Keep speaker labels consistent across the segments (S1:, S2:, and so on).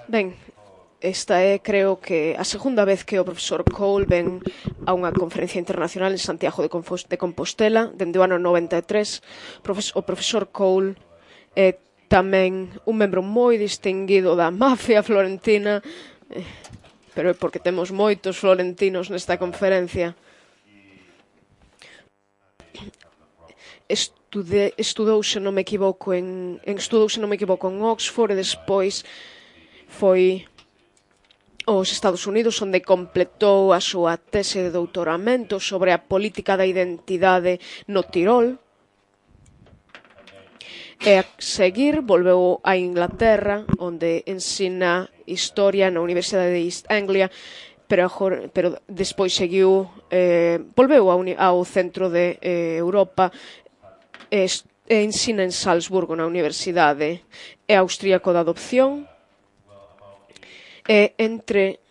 S1: Ben, esta é, creo que, a segunda vez que o profesor Cole ven a unha conferencia internacional en Santiago de Compostela, dende o ano 93. O profesor Cole é tamén un membro moi distinguido da mafia florentina, pero é porque temos moitos florentinos nesta conferencia. Estudou, se non me equivoco, en Oxford e despois foi aos Estados Unidos, onde completou a súa tese de doutoramento sobre a política da identidade no Tirol. E a seguir volveu a Inglaterra, onde ensina historia na Universidade de East Anglia, pero despois seguiu, volveu ao centro de Europa e ensina en Salzburgo, na Universidade. É austríaco de adopción. E entre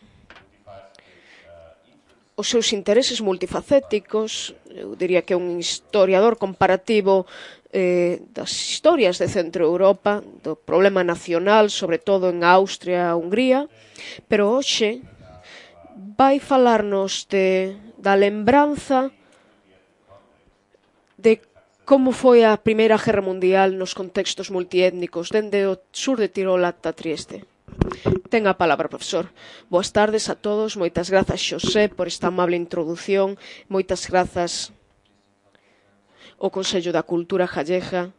S1: os seus intereses multifacéticos, eu diría que é un historiador comparativo das historias de Centro Europa, do problema nacional, sobre todo en Austria e Hungría, pero hoxe vai falarnos da lembranza de como foi a Primeira Guerra Mundial nos contextos multiétnicos, dende o sur de Tirol ata Trieste. Ten a palabra, profesor. Boas tardes a todos. Moitas grazas, Xosé, por esta amable introdución. Moitas grazas ao Consello da Cultura Gallega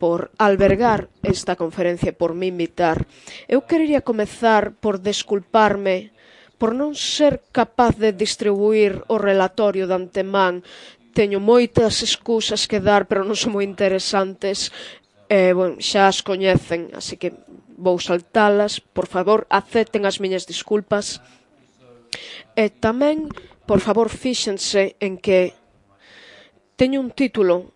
S1: por albergar esta conferencia e por me invitar. Eu querería comezar por desculparme por non ser capaz de distribuir o relatorio de antemán. Teño moitas excusas que dar, pero non son moi interesantes. Xa as coñecen, así que vou saltalas. Por favor, acepten as miñas disculpas. E tamén, por favor, fíxense en que teño un título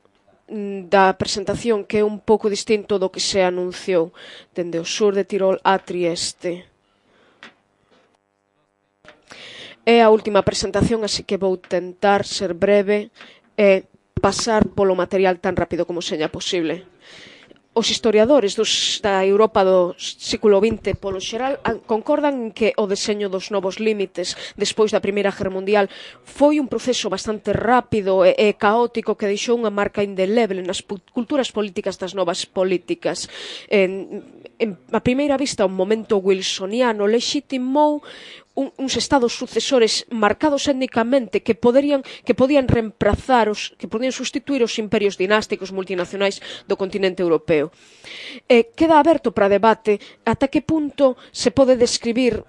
S1: da presentación que é un pouco distinto do que se anunciou, dende o sur de Tirol a Trieste. É a última presentación, así que vou tentar ser breve e pasar polo material tan rápido como seña posible. Os historiadores da Europa do século XX, polo xeral, concordan en que o deseño dos novos límites despois da Primeira Guerra Mundial foi un proceso bastante rápido e caótico que deixou unha marca indeleble nas culturas políticas das novas políticas. A primeira vista, un momento wilsoniano lexitimou uns estados sucesores marcados étnicamente que podían reemplazar, que podían sustituir os imperios dinásticos multinacionais do continente europeo. Queda aberto para debate ata que punto se pode describir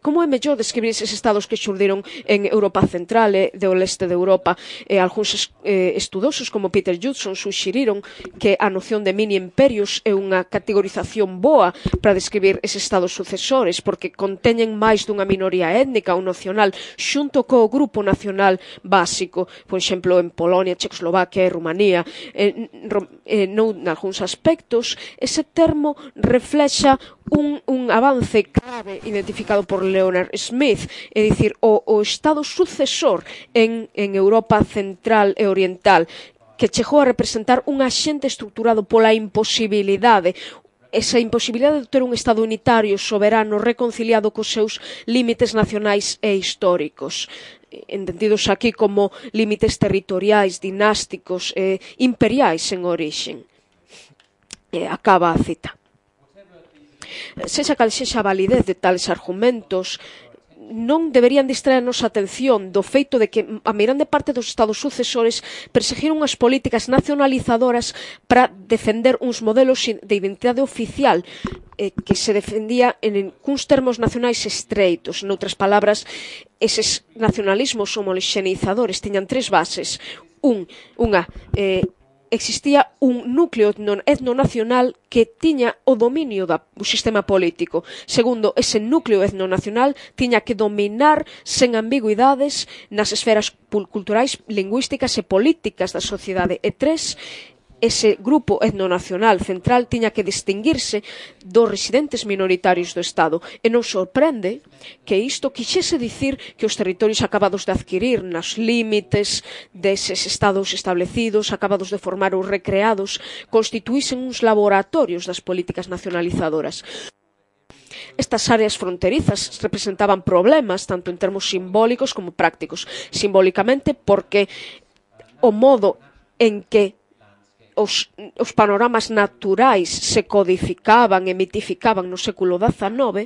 S1: como é mellor describir eses estados que xurdiron en Europa Central e do leste de Europa. Algúns estudosos como Peter Judson suxeriron que a noción de mini-imperios é unha categorización boa para describir eses estados sucesores, porque conteñen máis dunha minoría étnica ou nacional xunto co grupo nacional básico, por exemplo, en Polonia, Checoslovaquia e Rumanía. Nalgúns aspectos, ese termo reflexa un avance clave identificado por Leonard Smith, é dicir, o estado sucesor en Europa Central e Oriental, que chegou a representar un axente estruturado pola imposibilidade, esa imposibilidade de ter un Estado unitario, soberano, reconciliado cos seus límites nacionais e históricos, entendidos aquí como límites territoriais, dinásticos e imperiais en orixen. Acaba a cita. Sexa cal sexa a validez de tales argumentos, non deberían distraer a nosa atención do feito de que a meirande parte dos estados sucesores perseguiron unhas políticas nacionalizadoras para defender uns modelos de identidade oficial que se defendía en cuns termos nacionais estreitos. Noutras palabras, eses nacionalismos homoxeneizadores tiñan tres bases. Existía un núcleo etnonacional que tiña o dominio do sistema político. Segundo, ese núcleo etnonacional tiña que dominar sen ambigüidades nas esferas culturais, lingüísticas e políticas da sociedade. E tres, ese grupo etnonacional central tiña que distinguirse dos residentes minoritarios do Estado. E non sorprende que isto quixese dicir que os territorios acabados de adquirir nos límites deses estados establecidos, acabados de formar ou recreados, constituísen uns laboratorios das políticas nacionalizadoras. Estas áreas fronterizas representaban problemas tanto en termos simbólicos como prácticos. Simbólicamente porque o modo en que os panoramas naturais se codificaban e mitificaban no século XIX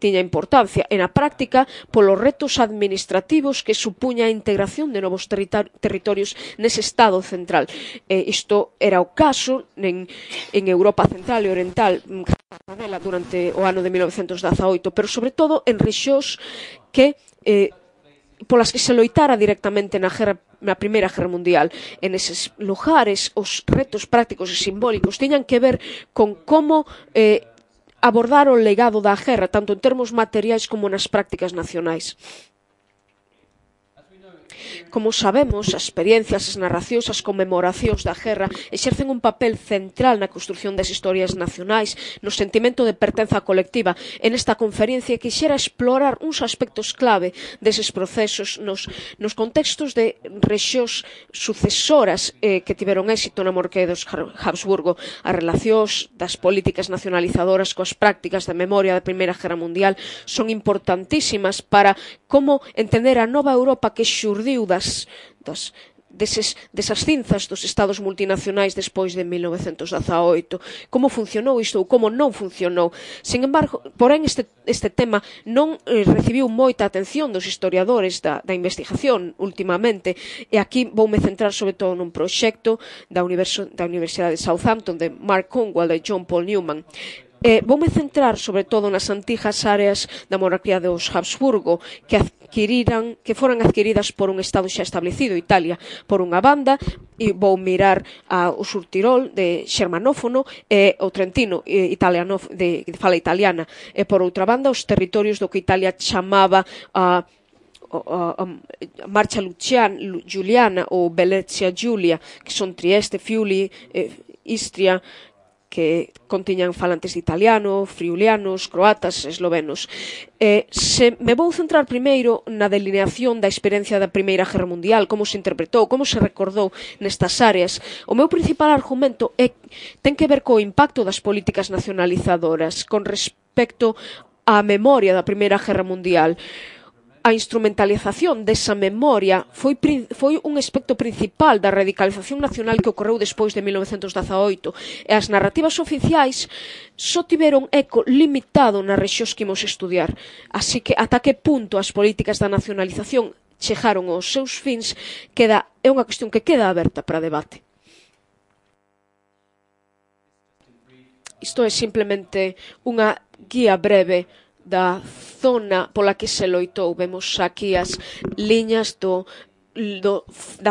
S1: tiña importancia. E na práctica, polos retos administrativos que supuña a integración de novos territorios nese Estado central. Isto era o caso en Europa Central e Oriental durante o ano de 1918, pero sobre todo en rexións que polas que se loitara directamente na Primeira Guerra Mundial. En eses lugares, os retos prácticos e simbólicos tiñan que ver con como abordar o legado da guerra, tanto en termos materiais como nas prácticas nacionais. Como sabemos, as experiencias, as narracións, as conmemoracións da guerra exercen un papel central na construción das historias nacionais, no sentimento de pertenza colectiva. En esta conferencia quixera explorar uns aspectos clave deses procesos nos contextos de rexións sucesoras que tiveron éxito na monarquía dos Habsburgo. As relacións das políticas nacionalizadoras coas prácticas de memoria da Primeira Guerra Mundial son importantísimas para como entender a nova Europa que xurdiu desas cinzas dos estados multinacionais despois de 1918. Como funcionou isto ou como non funcionou. Sin embargo, porén, este tema non recibiu moita atención dos historiadores da investigación últimamente, e aquí voume centrar sobre todo nun proxecto da Universidade de Southampton de Mark Cornwell e John Paul Newman. Voume centrar sobre todo nas antigas áreas da monarquía dos Habsburgo que foran adquiridas por un estado xa establecido, Italia, por unha banda, e vou mirar o Surtirol de xermanófono e o Trentino de fala italiana, e por outra banda os territorios do que Italia chamaba a Marcha Giuliana ou Venezia Giulia, que son Trieste, Friuli, Istria, que contiñan falantes de italiano, friulianos, croatas, eslovenos. Me vou centrar primeiro na delineación da experiencia da Primeira Guerra Mundial, como se interpretou, como se recordou nestas áreas. O meu principal argumento ten que ver co impacto das políticas nacionalizadoras con respecto á memoria da Primeira Guerra Mundial. A instrumentalización desa memoria foi un aspecto principal da radicalización nacional que ocorreu despois de 1918, e as narrativas oficiais só tiveron eco limitado nas rexións que imos estudiar. Así que ata que punto as políticas da nacionalización chegaron aos seus fins é unha cuestión que queda aberta para debate. Isto é simplemente unha guía breve da zona pola que se loitou. Vemos aquí as liñas da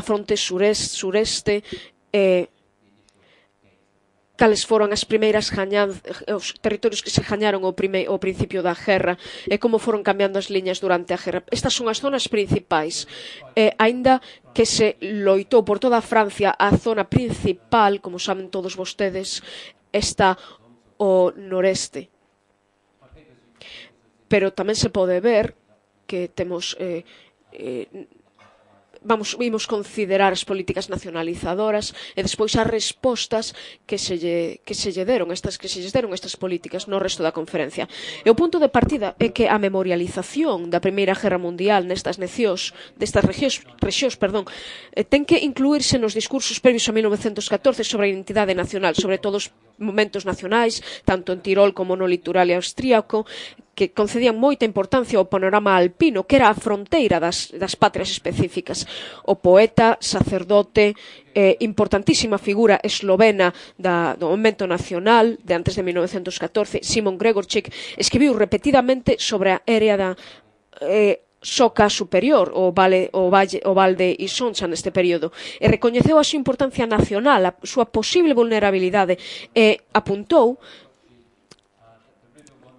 S1: fronte sureste, cales foron as primeiras os territorios que se gañaron ao principio da guerra e como foron cambiando as liñas durante a guerra. Estas son as zonas principais. Aínda que se loitou por toda Francia, a zona principal, como saben todos vostedes, está ao noreste. Pero tamén se pode ver que temos vimos considerar as políticas nacionalizadoras e despois as respostas que se lle deron estas políticas no resto da conferencia. E o punto de partida é que a memorialización da Primeira Guerra Mundial nestas rexións, ten que incluírse nos discursos previos a 1914 sobre a identidade nacional, sobre todos os momentos nacionais, tanto en Tirol como no litoral austríaco, que concedían moita importancia ao panorama alpino, que era a fronteira das patrias específicas. O poeta, sacerdote, importantísima figura eslovena do momento nacional de antes de 1914, Simon Gregorczyk, escribiu repetidamente sobre a área da Soca superior, o Val de Isoncha neste período, e recoñeceu a súa importancia nacional, a súa posible vulnerabilidade, e apuntou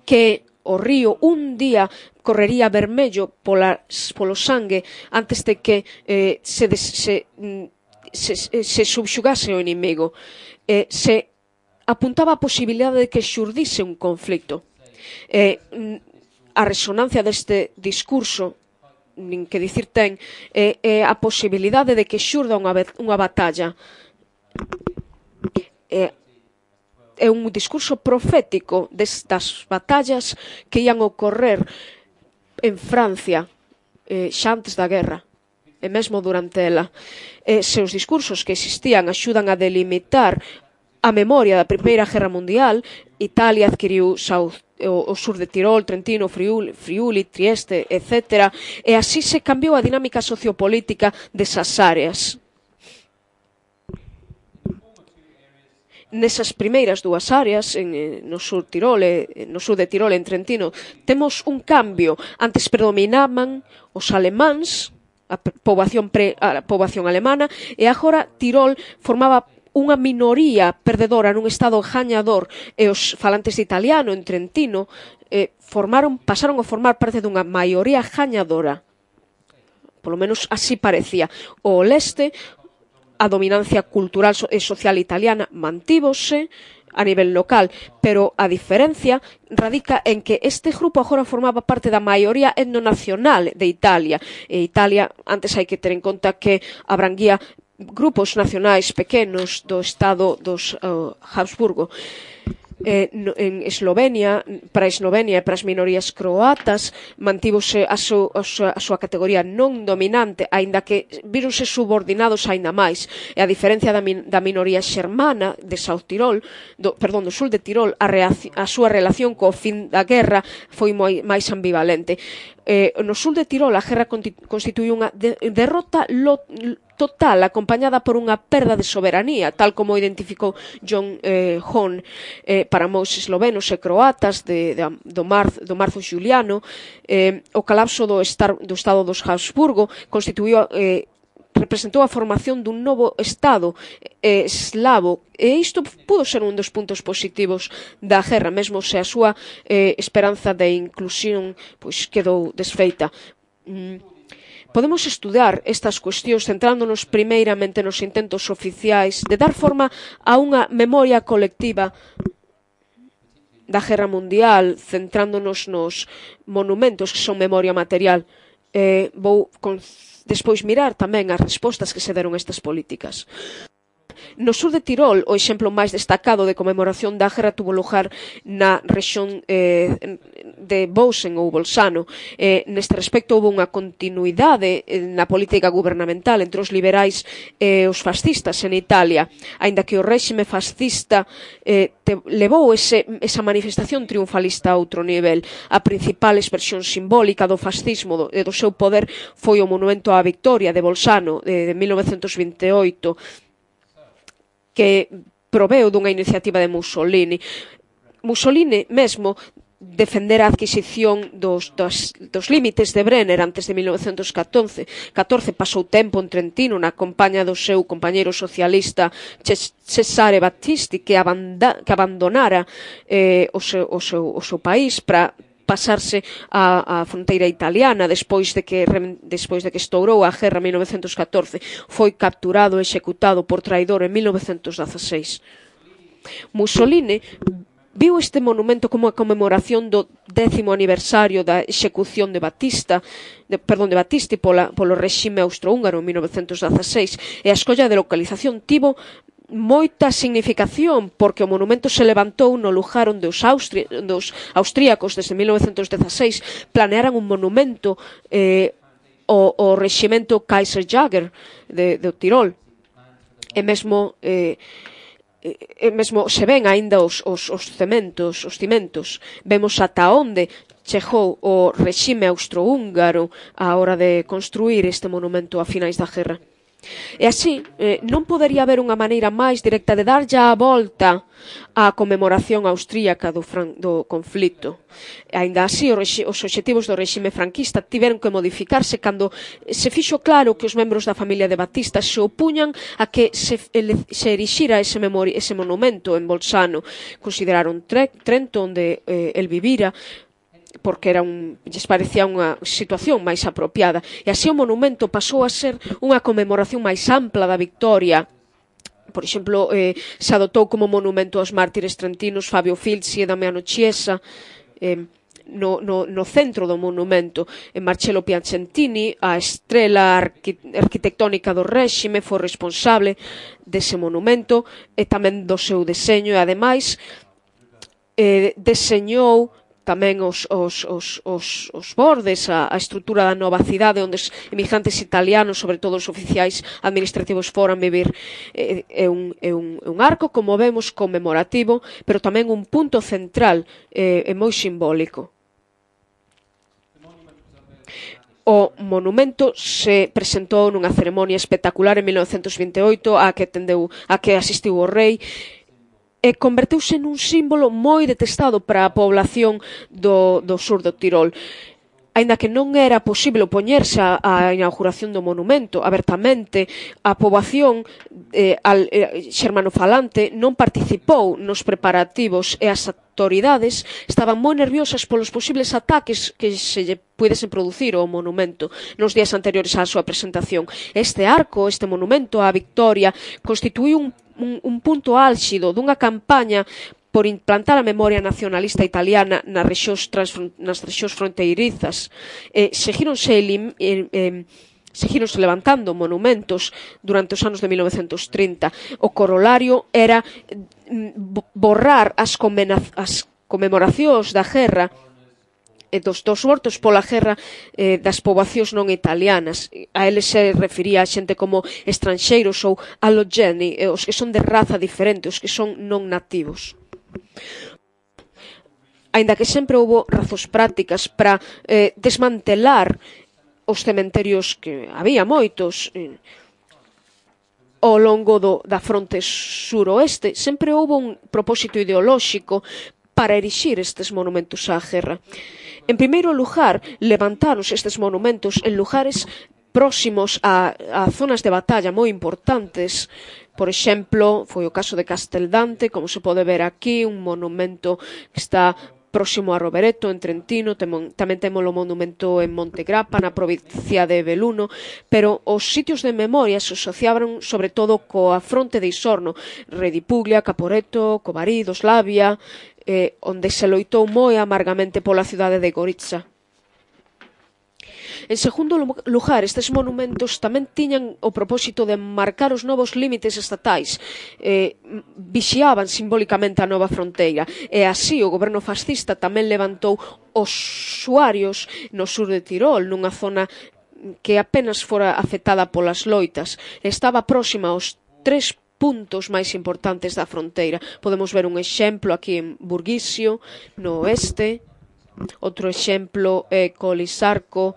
S1: que o río un día correría vermello polo sangue antes de que se subxugase o inimigo. Se apuntaba a posibilidade de que xurdise un conflito. A resonancia deste discurso, nin que dicir ten, é a posibilidade de que xurda unha batalla. é un discurso profético destas batallas que ian ocorrer en Francia xa antes da guerra e mesmo durante ela. Se os discursos que existían axudan a delimitar a memoria da Primeira Guerra Mundial, Italia adquiriu o sur de Tirol, Trentino, Friuli, Trieste, etc. E así se cambiou a dinámica sociopolítica desas áreas. Nesas primeiras dúas áreas, no sur de Tirol e en Trentino, temos un cambio. Antes predominaban os alemáns, a poboación alemana, e agora Tirol formaba unha minoría perdedora nun estado gañador, e os falantes de italiano en Trentino pasaron a formar parte dunha maioría gañadora. Polo menos así parecía. O leste, a dominancia cultural e social italiana mantívose a nivel local, pero a diferencia radica en que este grupo agora formaba parte da maioría etnonacional de Italia. E Italia, antes hai que ter en conta que abranguía grupos nacionais pequenos do estado dos Habsburgo. En Eslovenia, para Eslovenia e para as minorías croatas, mantívose a súa categoría non dominante, aínda que víronse subordinados aínda máis. E a diferencia da minoría xermana de South Tirol, do sul de Tirol, a súa relación co fin da guerra foi máis ambivalente. No sul de Tirol a guerra constituíu unha derrota total, acompañada por unha perda de soberanía, tal como identificou John Hone para moos eslovenos e croatas do marzo xuliano. O colapso do estado dos Habsburgo representou a formación dun novo estado eslavo, e isto pudo ser un dos puntos positivos da guerra, mesmo se a súa esperanza de inclusión quedou desfeita. Podemos estudar estas cuestións centrándonos primeiramente nos intentos oficiais de dar forma a unha memoria colectiva da Guerra Mundial, centrándonos nos monumentos que son memoria material. Vou despois mirar tamén as respostas que se deron a estas políticas. No sur de Tirol, o exemplo máis destacado de conmemoración da guerra tuvo lugar na rexión de Bausen ou Bolzano. Neste respecto, houve unha continuidade na política gubernamental entre os liberais e os fascistas en Italia, aínda que o réxime fascista levou esa manifestación triunfalista a outro nivel. A principal expresión simbólica do fascismo e do seu poder foi o monumento á victoria de Bolzano de 1928, que proveu dunha iniciativa de Mussolini. Mussolini mesmo defender a adquisición dos límites de Brenner antes de 1914. Pasou tempo en Trentino na compaña do seu compañeiro socialista Cesare Battisti, que abandonara o seu país para pasarse á fronteira italiana despois de que estourou a guerra en 1914. Foi capturado e executado por traidor en 1916. Mussolini viu este monumento como a conmemoración do 10º aniversario da execución de Battisti polo réxime austrohúngaro en 1916, e a escolla de localización tivo moita significación, porque o monumento se levantou no lugar onde os austríacos desde 1916 planearan un monumento ao reximento Kaiserjäger do Tirol. E mesmo se ven aínda os cimentos, vemos ata onde chegou o rexime austrohúngaro á hora de construir este monumento a finais da guerra. E así, non podería haber unha maneira máis directa de dar a volta á conmemoración austríaca do conflito. Aínda así, os obxectivos do réxime franquista tiveron que modificarse cando se fixo claro que os membros da familia de Batista se opuñan a que se erixira ese monumento en Bolzano. Consideraron Trento, onde el vivira, porque lles parecía unha situación máis apropiada. E así o monumento pasou a ser unha conmemoración máis ampla da victoria. Por exemplo, se adotou como monumento aos mártires trentinos Fabio Filzi e Damiano Chiesa. no centro do monumento. Marcello Piacentini, a estrela arquitectónica do réxime, foi responsable dese monumento e tamén do seu deseño, e ademais deseñou tamén os bordes, a estrutura da nova cidade onde os emigrantes italianos, sobre todo os oficiais administrativos, foran vivir. É un arco, como vemos, conmemorativo, pero tamén un punto central e moi simbólico. O monumento se presentou nunha ceremonia espectacular en 1928 a que asistiu o rei, e converteuse nun símbolo moi detestado para a población do sur do Tirol. Aínda que non era posible opoñerse á inauguración do monumento abertamente, a poboación xermanofalante non participou nos preparativos e as autoridades estaban moi nerviosas polos posibles ataques que se lle puidesen producir ao monumento nos días anteriores á súa presentación. Este arco, este monumento á Victoria, constituíu un punto álxido dunha campaña por implantar a memoria nacionalista italiana nas rexións fronteirizas. Seguíronse levantando monumentos durante os anos de 1930. O corolario era borrar as conmemoracións da guerra dos mortos pola guerra das poboacións non italianas. A eles se refería a xente como estranxeiros ou allogeni, os que son de raza diferente, os que son non nativos. Aínda que sempre houbo razóns prácticas para desmantelar os cementerios, que había moitos ao longo da fronte suroeste, sempre houbo un propósito ideolóxico para erixir estes monumentos á guerra. En primeiro lugar, levantáronse estes monumentos en lugares próximos a zonas de batalla moi importantes. Por exemplo, foi o caso de Casteldante, como se pode ver aquí, un monumento que está próximo a Rovereto, en Trentino. Tamén temos o monumento en Montegrappa, na provincia de Belluno, pero os sitios de memoria se asociaban sobre todo coa fronte de Isorno, Redipuglia, Caporetto, Covarido, Slavia, onde se loitou moi amargamente pola cidade de Goritza. En segundo lugar, estes monumentos tamén tiñan o propósito de marcar os novos límites estatais, vixiaban simbólicamente a nova fronteira, e así o goberno fascista tamén levantou os usuarios no sur de Tirol, nunha zona que apenas fora afectada polas loitas. Estaba próxima aos 3 puntos máis importantes da fronteira. Podemos ver un exemplo aquí en Burguisio, no oeste, outro exemplo é Colisarco,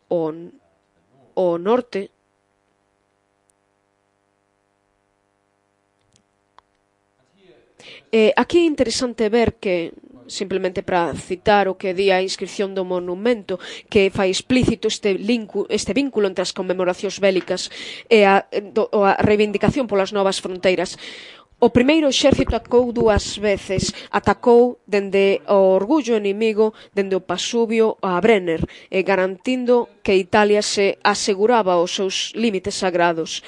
S1: o norte. Aquí é interesante ver que, simplemente para citar o que di a inscripción do monumento, que fai explícito este vínculo entre as conmemoracións bélicas e a reivindicación polas novas fronteiras. O primeiro exército atacou 2 veces. Atacou dende o orgullo enemigo, dende o Pasubio a Brenner, garantindo que Italia se aseguraba os seus límites sagrados.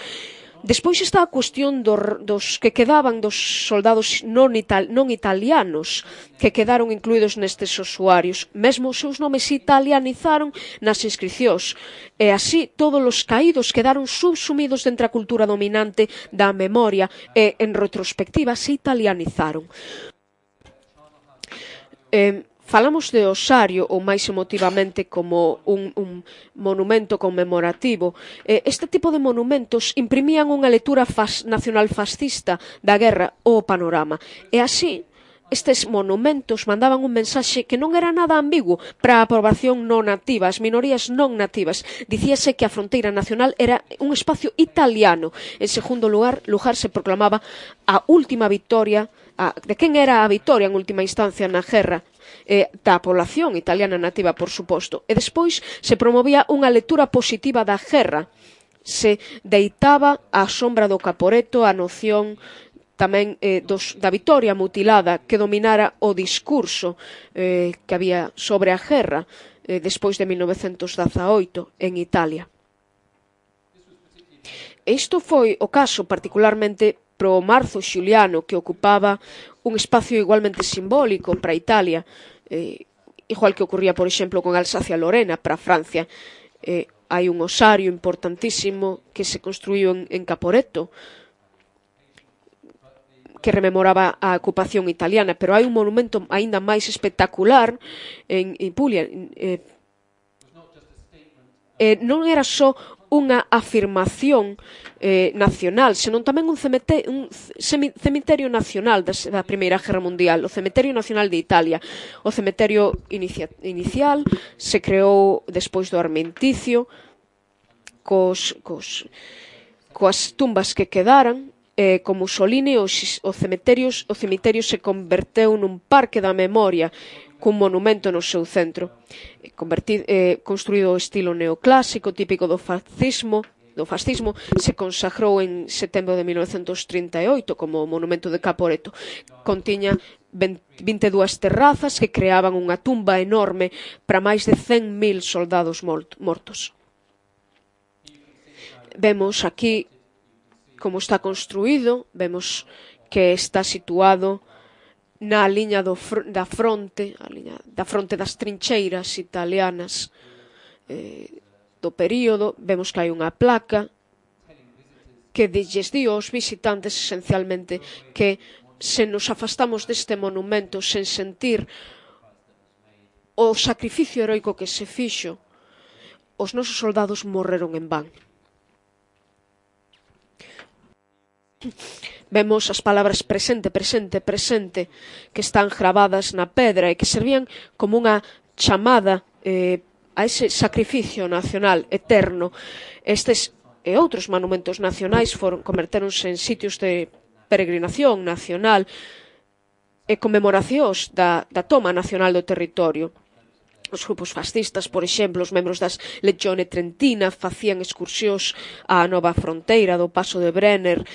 S1: Despois está a cuestión dos que quedaban, dos soldados non italianos que quedaron incluídos nestes usuarios. Mesmo os seus nomes se italianizaron nas inscripcións, e así todos os caídos quedaron subsumidos dentro da cultura dominante da memoria e, en retrospectiva, se italianizaron. Falamos de Osario, ou máis emotivamente como un monumento conmemorativo. Este tipo de monumentos imprimían unha lectura nacional fascista da guerra ao panorama. E así, estes monumentos mandaban un mensaxe que non era nada ambiguo para a poboación non nativa, as minorías non nativas. Dicíase que a fronteira nacional era un espacio italiano. En segundo lugar se proclamaba a última victoria, de quen era a victoria en última instancia na guerra, da población italiana nativa, por suposto. E despois se promovía unha lectura positiva da guerra. Se deitaba á sombra do Caporetto a noción tamén da vitoria mutilada que dominara o discurso que había sobre a guerra despois de 1918 en Italia. Isto foi o caso particularmente pro Marzo Xuliano, que ocupaba un espacio igualmente simbólico para Italia. igual que ocurría, por exemplo, con Alsacia-Lorena para Francia. Hai un osario importantísimo que se construiu en Caporetto, que rememoraba a ocupación italiana, pero hai un monumento aínda máis espectacular en Puglia. Non era só unha afirmación nacional, senón tamén un cemiterio nacional da Primeira Guerra Mundial, o Cemiterio Nacional de Italia. O cemiterio inicial se creou despois do armenticio, coas tumbas que quedaran. Con Mussolini, o cemiterio se converteu nun parque da memoria, cun monumento no seu centro, construído ao estilo neoclásico, típico do fascismo, se consagrou en setembro de 1938 como monumento de Caporetto. Contiña 22 terrazas que creaban unha tumba enorme para máis de 100.000 soldados mortos. Vemos aquí como está construído, vemos que está situado na liña da fronte das trincheiras italianas do período. Vemos que hai unha placa que lles di aos visitantes esencialmente que se nos afastamos deste monumento sen sentir o sacrificio heroico que se fixo, os nosos soldados morreron en van. Vemos as palabras presente, presente, presente que están gravadas na pedra e que servían como unha chamada a ese sacrificio nacional eterno. Estes e outros monumentos nacionais convertéronse en sitios de peregrinación nacional e conmemoracións da toma nacional do territorio. Os grupos fascistas, por exemplo, os membros das Legione Trentina facían excursións á nova fronteira do Paso de Brenner.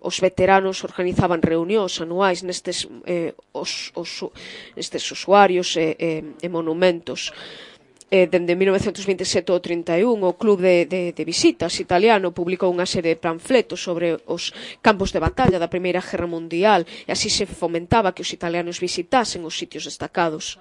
S1: Os veteranos organizaban reunións anuais nestes usuarios e monumentos. Dende 1927 ao 31, o Club de Visitas italiano publicou unha serie de panfletos sobre os campos de batalla da Primeira Guerra Mundial, e así se fomentaba que os italianos visitasen os sitios destacados.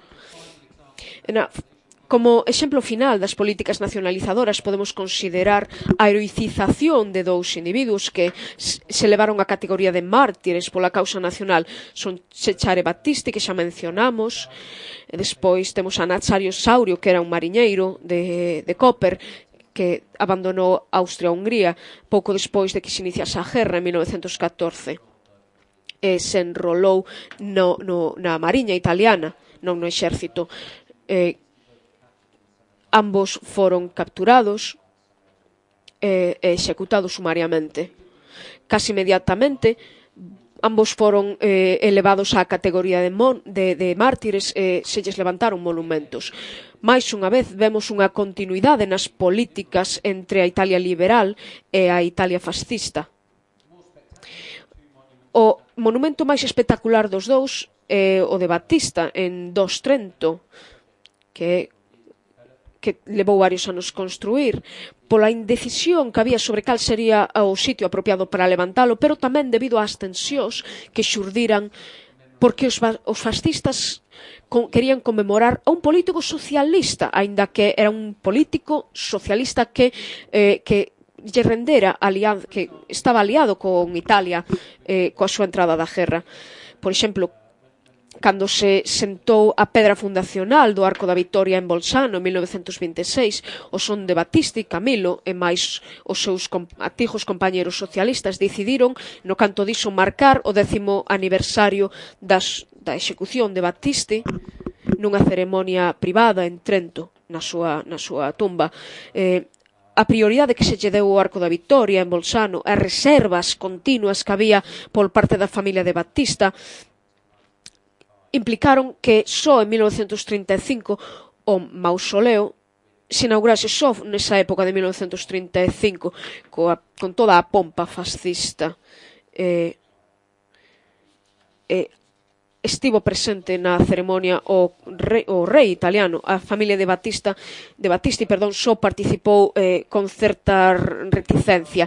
S1: Como exemplo final das políticas nacionalizadoras podemos considerar a heroicización de dous individuos que se levaron a categoría de mártires pola causa nacional. Son Cesare Battisti, que xa mencionamos, e despois temos a Nazario Saurio, que era un mariñeiro de Koper, que abandonou Austria-Hungría pouco despois de que se iniciase a guerra en 1914. Se enrolou na mariña italiana, non no exército. Ambos foron capturados e executados sumariamente. Casi inmediatamente, ambos foron elevados á categoría de mártires e se lles levantaron monumentos. Mais unha vez vemos unha continuidade nas políticas entre a Italia liberal e a Italia fascista. O monumento máis espectacular dos dous é o de Battista en Dos Trento, que levou varios anos construir, pola indecisión que había sobre cal sería o sitio apropiado para levantalo, pero tamén debido ás tensións que xurdiran porque os fascistas querían conmemorar a un político socialista, aínda que era un político socialista que lle rendera que estaba aliado con Italia coa súa entrada da guerra. Por exemplo, cando se sentou a pedra fundacional do Arco da Vitoria en Bolzano en 1926, o son de Battisti, Camilo e máis os seus antigos compañeros socialistas decidiron no canto diso marcar o 10º aniversario da execución de Battisti nunha ceremonia privada en Trento, na súa tumba. A prioridade que se lle deu ao Arco da Vitoria en Bolzano, as reservas continuas que había por parte da familia de Battista, implicaron que só en 1935 o mausoleo se inaugurase só nesa época de 1935 con toda a pompa fascista. Estivo presente na ceremonia o rei italiano. A familia de Battisti só participou con certa reticencia.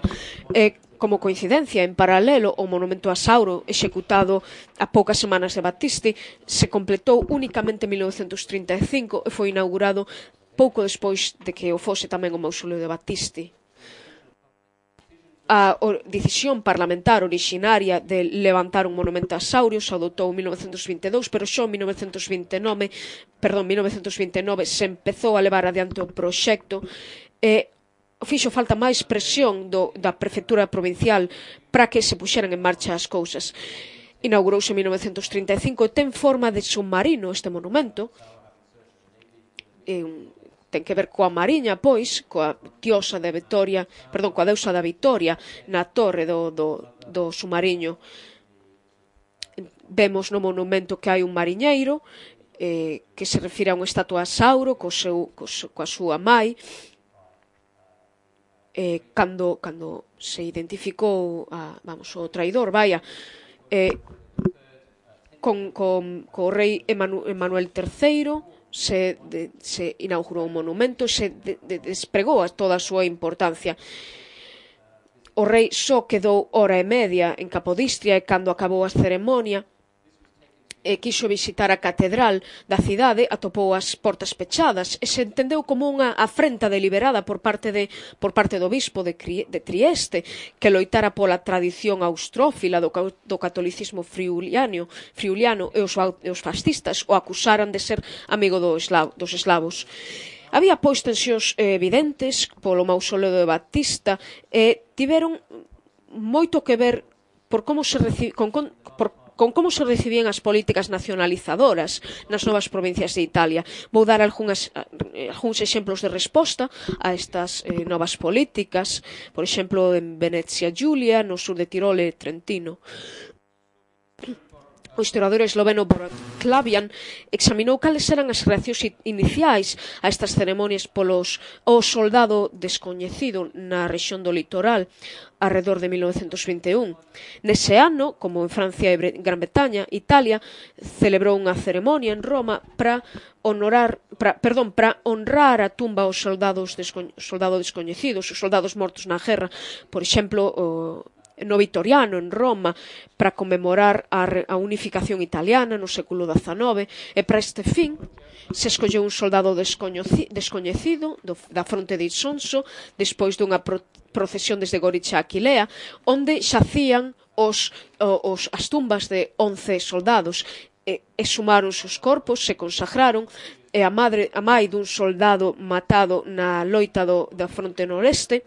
S1: Como coincidencia, en paralelo, o monumento a Sauro, executado a poucas semanas de Battisti, se completou únicamente en 1935 e foi inaugurado pouco despois de que o fose tamén o mausoleo de Battisti. A decisión parlamentar originaria de levantar un monumento a Saurio se adoptou en 1922, pero só en 1929 se empezou a levar adiante o proxecto e fixo falta máis presión da prefectura provincial para que se puxeran en marcha as cousas. Inaugurouse en 1935 e ten forma de submarino este monumento. Ten que ver coa mariña, pois, coa diosa da Vitoria, coa deusa da Vitoria na torre do submarino. Vemos no monumento que hai un mariñeiro que se refire a unha estatua a Sauro coa súa mai. Cando se identificou o traidor, co rei Emmanuel III, se inaugurou un monumento, se despregou toda a súa importancia. O rei só quedou hora e media en Capodistria e cando acabou a ceremonia quiso visitar a catedral da cidade, atopou as portas pechadas e se entendeu como unha afrenta deliberada por parte do bispo de Trieste, que loitara pola tradición austrófila do catolicismo friuliano e os fascistas o acusaran de ser amigo dos eslavos. Había pois tensións evidentes polo mausoleo de Batista e tiveron moito que ver con como se recibían as políticas nacionalizadoras nas novas provincias de Italia. Vou dar algúns exemplos de resposta a estas novas políticas, por exemplo, en Venezia Giulia, no sur de Tirol e Trentino. O historiador esloveno Borut Klabian examinou cales eran as reaccións iniciais a estas ceremonias ao soldado descoñecido na rexión do litoral arredor de 1921. Nese ano, como en Francia e Gran Bretaña, Italia celebrou unha ceremonia en Roma para honrar a tumba aos soldados descoñecidos, os soldados mortos na guerra, por exemplo, no Vitoriano, en Roma, para conmemorar a unificación italiana no século XIX, e para este fin se escolleu un soldado descoñecido da fronte de Isonso despois dunha procesión desde Gorica a Aquilea, onde xacían as tumbas de 11 soldados e sumaron os corpos, se consagraron, e a mai dun soldado matado na loita da fronte noreste,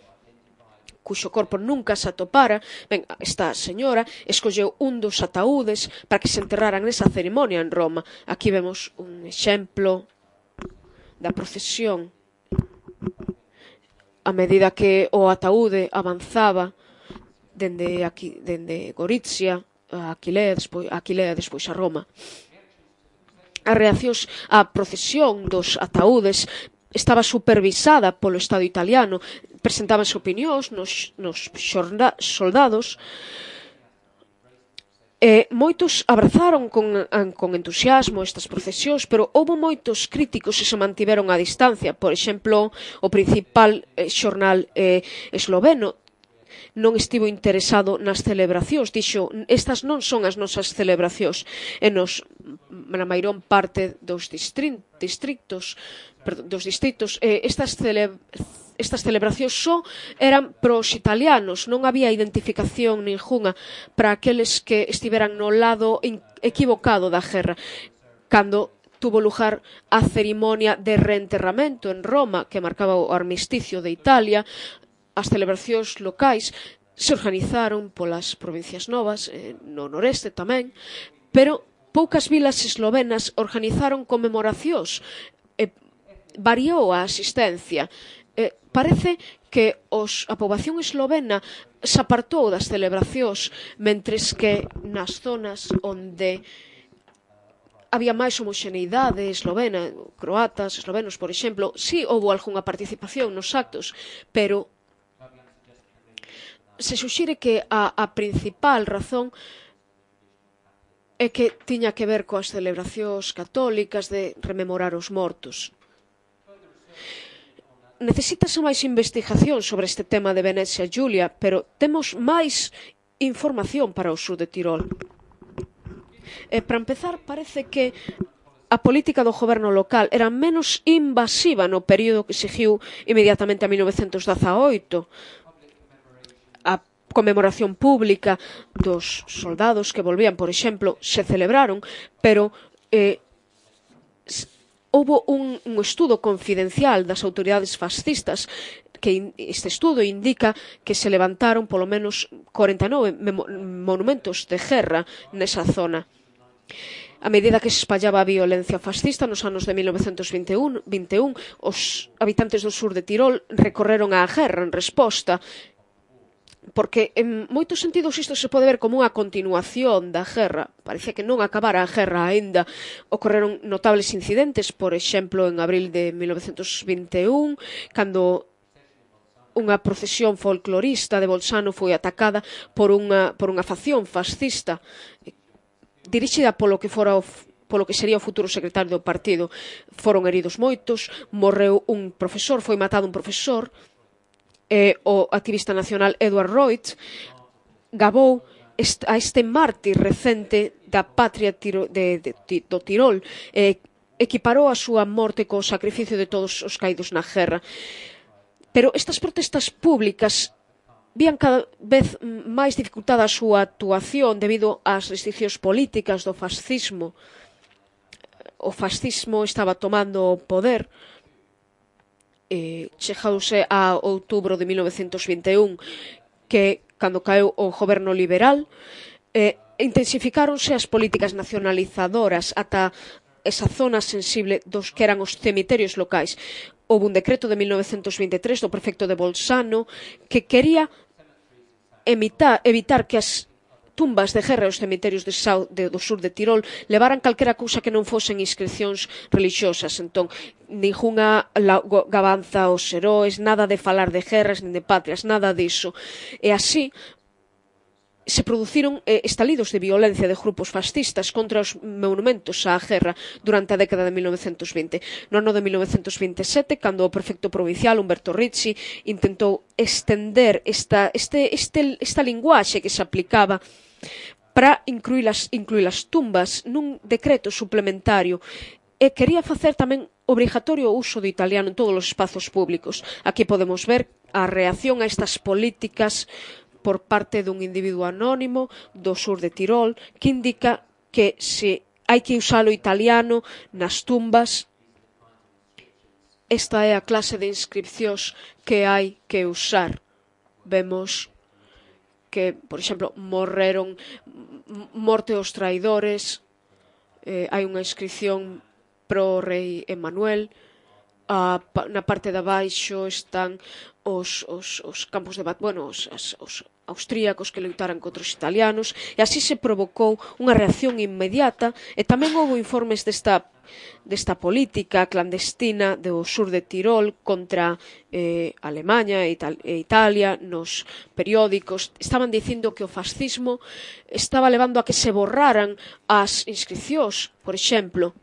S1: cuxo corpo nunca se atopara, esta señora escolleu un dos ataúdes para que se enterraran nesa ceremonia en Roma. Aquí vemos un exemplo da procesión. A medida que o ataúde avanzaba dende Gorizia a Aquilea, despois a Roma. As reaccións á procesión dos ataúdes estaba supervisada polo Estado italiano, presentábanse opinións nos soldados e moitos abrazaron con entusiasmo estas procesións, pero houbo moitos críticos que se mantiveron a distancia. Por exemplo, o principal xornal esloveno non estivo interesado nas celebracións, dixo, estas non son as nosas celebracións, e na mairón parte dos distritos, estas celebracións só eran pros italianos, non había identificación ningunha para aqueles que estiveran no lado equivocado da guerra. Cando tuvo lugar a cerimonia de reenterramento en Roma, que marcaba o armisticio de Italia, as celebracións locais se organizaron polas provincias novas, no noreste tamén, pero poucas vilas eslovenas organizaron conmemoracións. Variou a asistencia. Parece que a poboación eslovena se apartou das celebracións, mentres que nas zonas onde había máis homoxeneidade eslovena, croatas, eslovenos, por exemplo, si houbo algunha participación nos actos, pero se suxire que a principal razón é que tiña que ver coas celebracións católicas de rememorar os mortos. necesítase máis investigación sobre este tema de Venecia, Giulia, pero temos máis información para o sur de Tirol. Para empezar, parece que a política do goberno local era menos invasiva no período que seguiu inmediatamente a 1918. A conmemoración pública dos soldados que volvían, por exemplo, se celebraron, pero houbo un estudo confidencial das autoridades fascistas que este estudo indica que se levantaron polo menos 49 monumentos de guerra nesa zona. A medida que se espallaba a violencia fascista nos anos de 1921, os habitantes do sur de Tirol recorreron á guerra en resposta, porque en moitos sentidos isto se pode ver como unha continuación da guerra. Parecía que non acabara a guerra aínda. Ocorreron notables incidentes, por exemplo, en abril de 1921, cando unha procesión folclorista de Bolzano foi atacada por unha facción fascista dirixida polo que sería o futuro secretario do partido. Foron heridos moitos, morreu un profesor, foi matado un profesor, o activista nacional Edward Reut gabou a este mártir recente da patria do Tirol, equiparou a súa morte co sacrificio de todos os caídos na guerra. Pero estas protestas públicas vían cada vez máis dificultada a súa actuación debido ás restriccións políticas do fascismo. O fascismo estaba tomando o poder. Chegadouse a outubro de 1921, que cando caeu o goberno liberal, intensificáronse as políticas nacionalizadoras ata esa zona sensible dos que eran os cemiterios locais. Houve un decreto de 1923 do prefecto de Bolzano que quería evitar que as tumbas de guerra e os cemiterios do sur de Tirol levaran calquera cousa que non fosen inscripcións religiosas. Entón, ningunha gabanza aos heróis, nada de falar de guerras nin de patrias, nada diso. E así se produciron estalidos de violencia de grupos fascistas contra os monumentos á guerra durante a década de 1920. No ano de 1927, cando o prefecto provincial, Umberto Ricci, intentou estender esta linguaxe que se aplicaba para incluir as tumbas nun decreto suplementario, e quería facer tamén obrigatorio o uso do italiano en todos os espazos públicos. Aquí podemos ver a reacción a estas políticas por parte dun individuo anónimo do sur de Tirol, que indica que se hai que usar o italiano nas tumbas, esta é a clase de inscripcións que hai que usar. Vemos que, por exemplo, morte aos traidores, hai unha inscripción pro rei Emmanuel. Na parte de abaixo están os campos de batalla, os austríacos que loitaran contra os italianos, e así se provocou unha reacción inmediata, e tamén houve informes desta política clandestina do sur de Tirol contra Alemanha e Italia. Nos periódicos estaban dicindo que o fascismo estaba levando a que se borraran as inscripcións, por exemplo.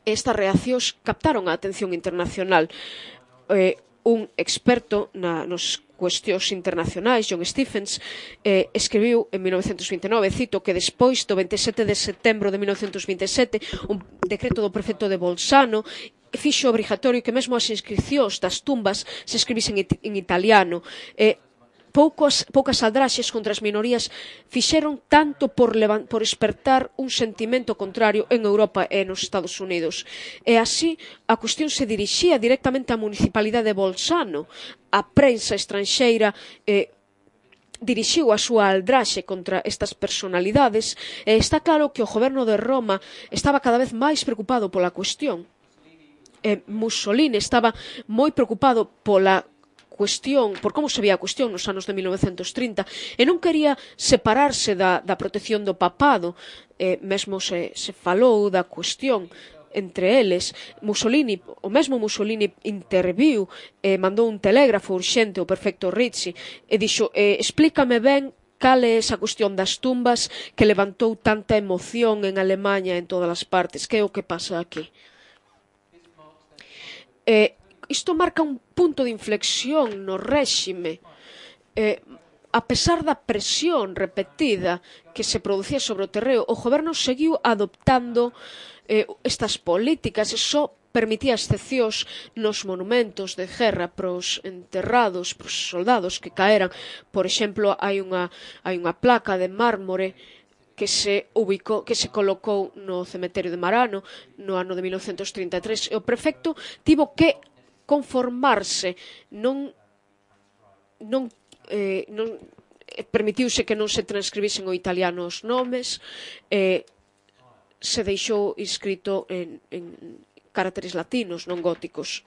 S1: Estas reaccións captaron a atención internacional. Un experto nos cuestións internacionais, John Stephens, escribiu en 1929, cito, que despois do 27 de setembro de 1927 un decreto do prefecto de Bolzano fixo obrigatorio que mesmo as inscripcións das tumbas se escribisen en italiano. Poucas aldraxes contra as minorías fixeron tanto por espertar un sentimento contrario en Europa e nos Estados Unidos. E así, a cuestión se dirixía directamente á municipalidade de Bolzano. A prensa estranxeira dirixiu a súa aldraxe contra estas personalidades, e está claro que o goberno de Roma estaba cada vez máis preocupado pola cuestión. Mussolini estaba moi preocupado por como se veía a cuestión nos anos de 1930, e non quería separarse da protección do papado. Mesmo se falou da cuestión entre eles. O mesmo Mussolini interviu, mandou un telégrafo urxente ao prefecto Ricci e dixo: explícame ben cal é esa cuestión das tumbas que levantou tanta emoción en Alemanha e en todas as partes, que é o que pasa aquí. isto marca un punto de inflexión no réxime. A pesar da presión repetida que se producía sobre o terreo, o goberno seguiu adoptando estas políticas e só permitía excepcións nos monumentos de guerra pros enterrados, pros soldados que caeran. Por exemplo, hai unha placa de mármore que se colocou no cemiterio de Marano no ano de 1933 e o prefecto tivo que conformarse, permitiuse que non se transcribisen ao italiano os nomes, se deixou escrito en caracteres latinos, non góticos.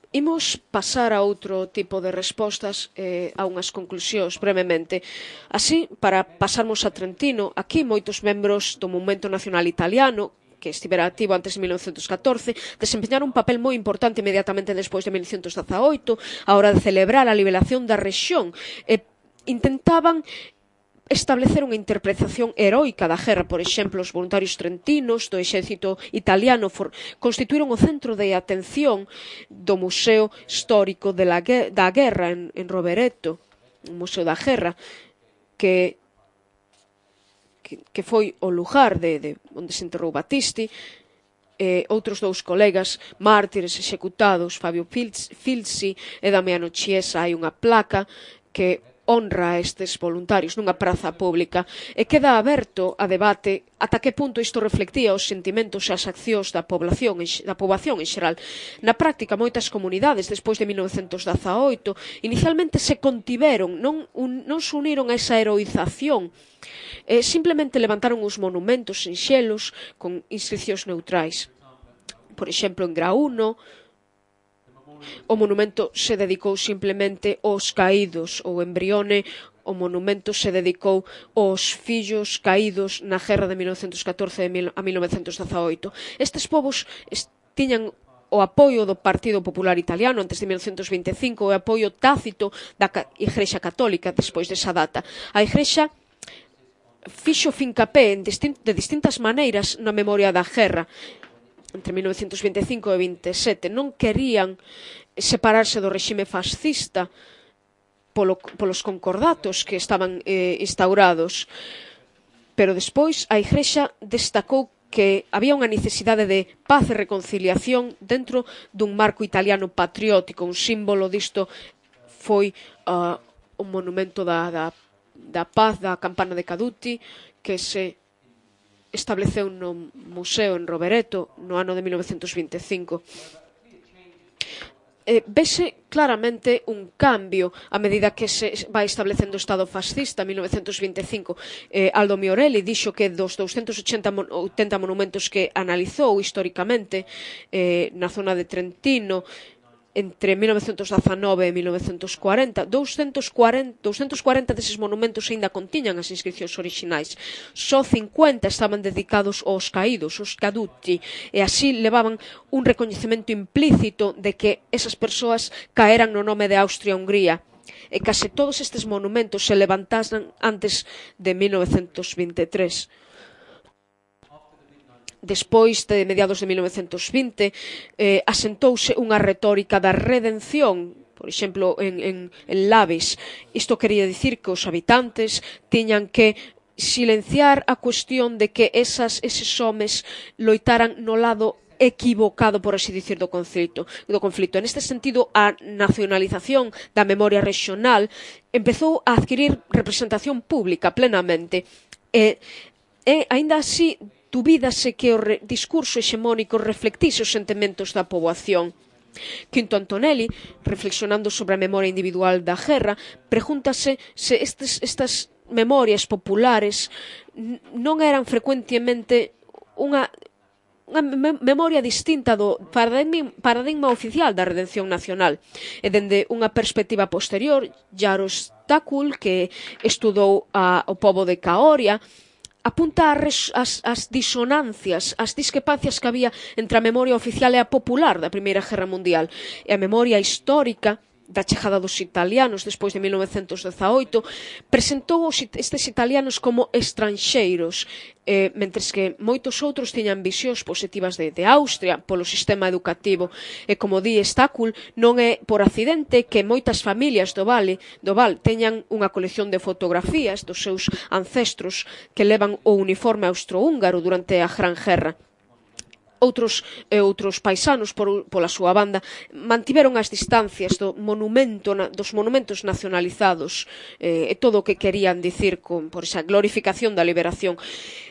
S1: Imos pasar a outro tipo de respostas, a unhas conclusións brevemente. Así, para pasarmos a Trentino, aquí moitos membros do Movemento Nacional Italiano, que estivera activo antes de 1914, desempeñaron un papel moi importante inmediatamente despois de 1918, a hora de celebrar a liberación da rexión. Intentaban establecer unha interpretación heroica da guerra. Por exemplo, os voluntarios trentinos do exército italiano constituíron o centro de atención do Museo Histórico da Guerra en Rovereto, o Museo da Guerra, que foi o lugar onde se enterrou Battisti. Outros dous colegas mártires executados, Fabio Filzi e Damiano Chiesa. Hai unha placa que honra a estes voluntarios nunha praza pública e queda aberto a debate ata que punto isto reflectía os sentimentos e as accións da poboación en xeral. Na práctica, moitas comunidades, despois de 1918, inicialmente se contiveron, non se uniron a esa heroización, simplemente levantaron os monumentos sinxelos con inscripcións neutrais. Por exemplo, en Grauno, o monumento se dedicou simplemente aos caídos, ou en Brione o monumento se dedicou aos fillos caídos na guerra de 1914 a 1918. Estes povos tiñan o apoio do Partido Popular Italiano antes de 1925 e o apoio tácito da Igrexa Católica despois desa data. A Igrexa fixo fincapé de distintas maneiras na memoria da guerra. Entre 1925 e 27 non querían separarse do réxime fascista polos concordatos que estaban instaurados, pero despois a Igrexa destacou que había unha necesidade de paz e reconciliación dentro dun marco italiano patriótico. Un símbolo disto foi o monumento da paz da campana de Caduti, que se estableceu no museo en Rovereto no ano de 1925. Vese claramente un cambio a medida que se vai establecendo o Estado fascista en 1925. Aldo Miorelli dixo que dos 280 monumentos que analizou históricamente na zona de Trentino entre 1919 e 1940, 240 deses monumentos aínda contiñan as inscripcións orixinais. Só 50 estaban dedicados aos caídos, os caduti, e así levaban un recoñecemento implícito de que esas persoas caeran no nome de Austria-Hungría. E case todos estes monumentos se levantasen antes de 1923. Despois de mediados de 1920, asentouse unha retórica da redención, por exemplo, en Lavis. Isto quería dicir que os habitantes tiñan que silenciar a cuestión de que eses homes loitaran no lado equivocado, por así dicir, do conflito. En este sentido, a nacionalización da memoria regional empezou a adquirir representación pública plenamente. E aínda así, dubídase que o discurso hexemónico reflectise os sentimentos da poboación. Quinto Antonelli, reflexionando sobre a memoria individual da guerra, pregúntase se estas memorias populares non eran frecuentemente unha memoria distinta do paradigma oficial da redención nacional. E dende unha perspectiva posterior, Jarosz Takul, que estudou o pobo de Caoria, apunta as disonancias, as discrepancias que había entre a memoria oficial e a popular da Primeira Guerra Mundial. E a memoria histórica da chegada dos italianos despois de 1918, presentou estes italianos como estranxeiros, mentres que moitos outros tiñan visións positivas de Austria polo sistema educativo. E como di Stacul, non é por accidente que moitas familias do Val teñan unha colección de fotografías dos seus ancestros que levan o uniforme austrohúngaro durante a Gran Guerra. Outros paisanos, pola súa banda, mantiveron as distancias dos monumentos nacionalizados e todo o que querían dicir por esa glorificación da liberación.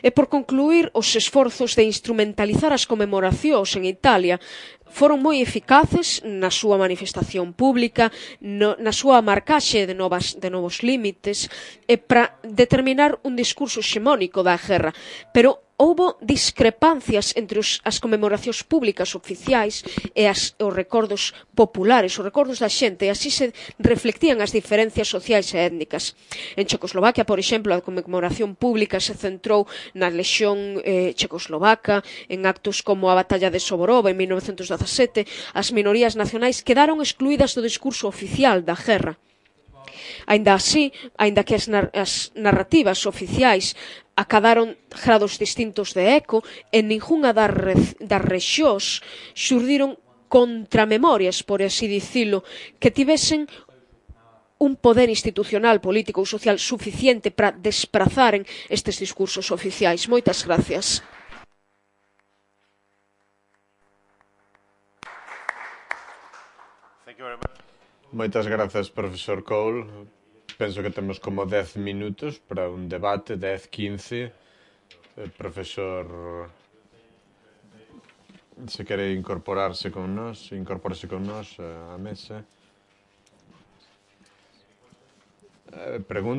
S1: E por concluir, os esforzos de instrumentalizar as conmemoracións en Italia foron moi eficaces na súa manifestación pública, na súa marcaxe de novos límites e para determinar un discurso hexemónico da guerra. Pero houbo discrepancias entre as conmemoracións públicas oficiais e os recordos populares, os recordos da xente, e así se reflectían as diferencias sociais e étnicas. En Checoslovaquia, por exemplo, a conmemoración pública se centrou na lexión checoslovaca, en actos como a Batalla de Soborov en 1917, as minorías nacionais quedaron excluídas do discurso oficial da guerra. Aínda así, aínda que as narrativas oficiais acadaron grados distintos de eco, en ningunha das rexións xurdiron contramemorias, por así dicilo, que tivesen un poder institucional, político ou social suficiente para desprazaren estes discursos oficiais. Moitas gracias.
S2: Moitas grazas, profesor Cole. Penso que temos como 10 minutos para un debate, 10, 15. Profesor, se quere incorporarse con nós á mesa. Pregunta.